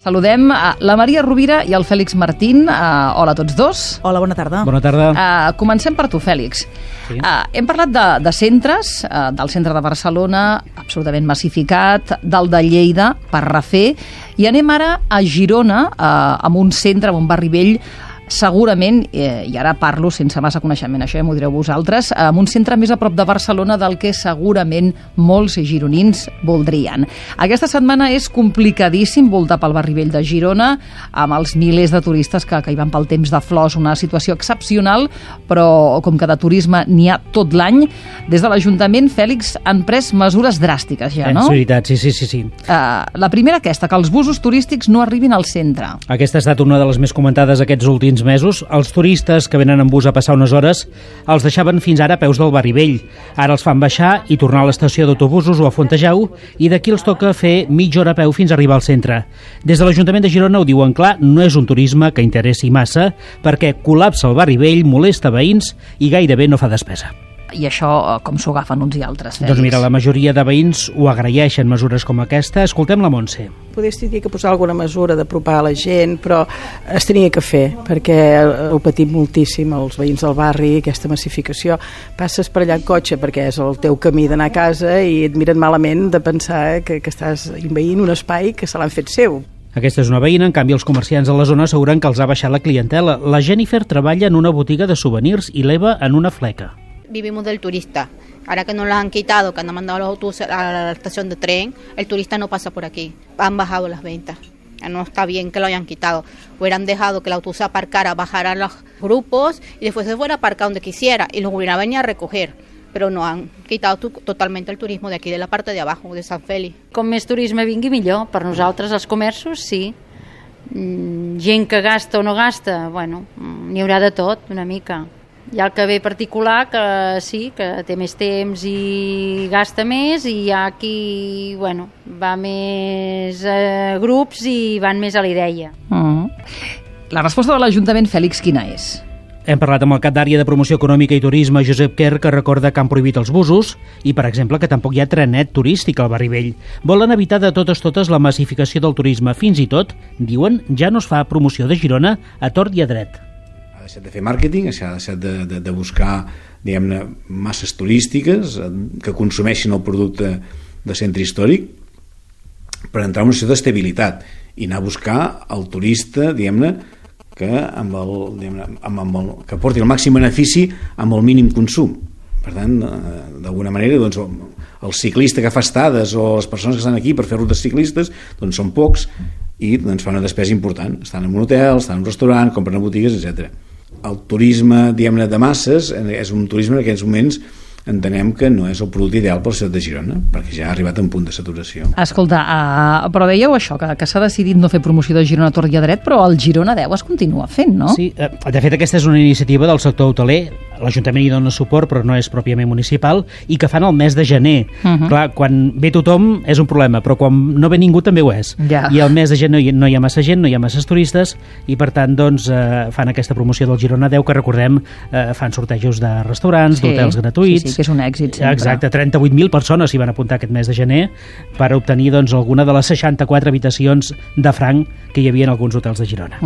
Saludem la Maria Rovira i el Fèlix Martín. Hola a tots dos. Hola, bona tarda. Bona tarda. Comencem per tu, Fèlix. Sí. Hem parlat de centres, del centre de Barcelona, absolutament massificat, del de Lleida, per refer, i anem ara a Girona, amb un centre, amb un barri vell, segurament, i ara parlo sense massa coneixement, això ja m'ho direu vosaltres, amb un centre més a prop de Barcelona del que segurament molts gironins voldrien. Aquesta setmana és complicadíssim voltar pel barri vell de Girona, amb els milers de turistes que hi van pel temps de flors, una situació excepcional, però com que de turisme n'hi ha tot l'any, des de l'Ajuntament, Fèlix, han pres mesures dràstiques ja, no? És veritat, sí. La primera aquesta, que els busos turístics no arribin al centre. Aquesta ha estat una de les més comentades aquests últims mesos. Els turistes que venen en bus a passar unes hores els deixaven fins ara a peus del barri vell. Ara els fan baixar i tornar a l'estació d'autobusos o a Fontejau, i d'aquí els toca fer mitja hora a peu fins a arribar al centre. Des de l'Ajuntament de Girona ho diuen clar, no és un turisme que interessi massa, perquè col·lapsa el barri vell, molesta veïns i gairebé no fa despesa. I això com s'ho agafen uns i altres, Fèlix? Doncs mira, la majoria de veïns ho agraeixen, mesures com aquesta. Escoltem la Montse. Podries dir que posar alguna mesura d'apropar a la gent, però es tenia que fer, perquè ho patim moltíssim els veïns del barri, aquesta massificació. Passes per allà en cotxe perquè és el teu camí d'anar a casa i et miren malament de pensar que estàs envaint un espai que se l'han fet seu. Aquesta és una veïna, en canvi els comerciants de la zona asseguren que els ha baixat la clientela. La Jennifer treballa en una botiga de souvenirs i l'Eva en una fleca. Vivimos del turista. Ahora que nos lo han quitado, que han mandado los autobuses a la estación de tren, el turista no pasa por aquí. Han bajado las ventas. No está bien que lo hayan quitado. Hubieran dejado que el autobús aparcara, bajara los grupos y después se fuera a aparcar donde quisiera y los hubiera venido a recoger. Però no, han quitado totalment el turisme d'aquí, de la part de abajo, de Sant Fèlix. Com més turisme vingui, millor. Per nosaltres, els comerços, sí. Gent que gasta o no gasta, bueno, n'hi haurà de tot, una mica. Hi ha el que ve particular, que sí, que té més temps i gasta més, i hi ha qui, bueno, va més a grups i van més a la idea. La resposta de l'Ajuntament, Fèlix, quina és? Hem parlat amb el cap d'àrea de promoció econòmica i turisme, Josep Quer, que recorda que han prohibit els busos i, per exemple, que tampoc hi ha trenet turístic al barri vell. Volen evitar de totes la massificació del turisme. Fins i tot, diuen, ja no es fa promoció de Girona a tort i a dret. Ha deixat de fer màrqueting, ha deixat de buscar, diguem-ne, masses turístiques que consumeixin el producte de centre històric per entrar en una situació d'estabilitat i anar a buscar el turista, diguem-ne, que que porti el màxim benefici amb el mínim consum. Per tant, d'alguna manera, doncs, el ciclista que fa estades o les persones que estan aquí per fer rutes ciclistes doncs són pocs i doncs, fa una despesa important. Estan en un hotel, estan en un restaurant, compren a botigues, etc. El turisme, diguem-ne, de masses és un turisme en aquests moments entenem que no és el producte ideal per la ciutat de Girona, perquè ja ha arribat a un punt de saturació. Escolta, però dèieu això, que s'ha decidit no fer promoció de Girona a tort i a dret, però el Girona 10 es continua fent, no? Sí, de fet aquesta és una iniciativa del sector hoteler, l'Ajuntament hi dona suport però no és pròpiament municipal, i que fan el mes de gener. Clar, quan ve tothom és un problema, però quan no ve ningú també ho és. Ja. I al mes de gener no hi ha massa gent, no hi ha masses turistes, i per tant doncs, fan aquesta promoció del Girona 10, que recordem fan sortejos de restaurants, d'hotels gratuïts. Sí, que és un èxit sempre. Exacte, 38.000 persones s'hi van apuntar aquest mes de gener per obtenir doncs, alguna de les 64 habitacions de franc que hi havia en alguns hotels de Girona.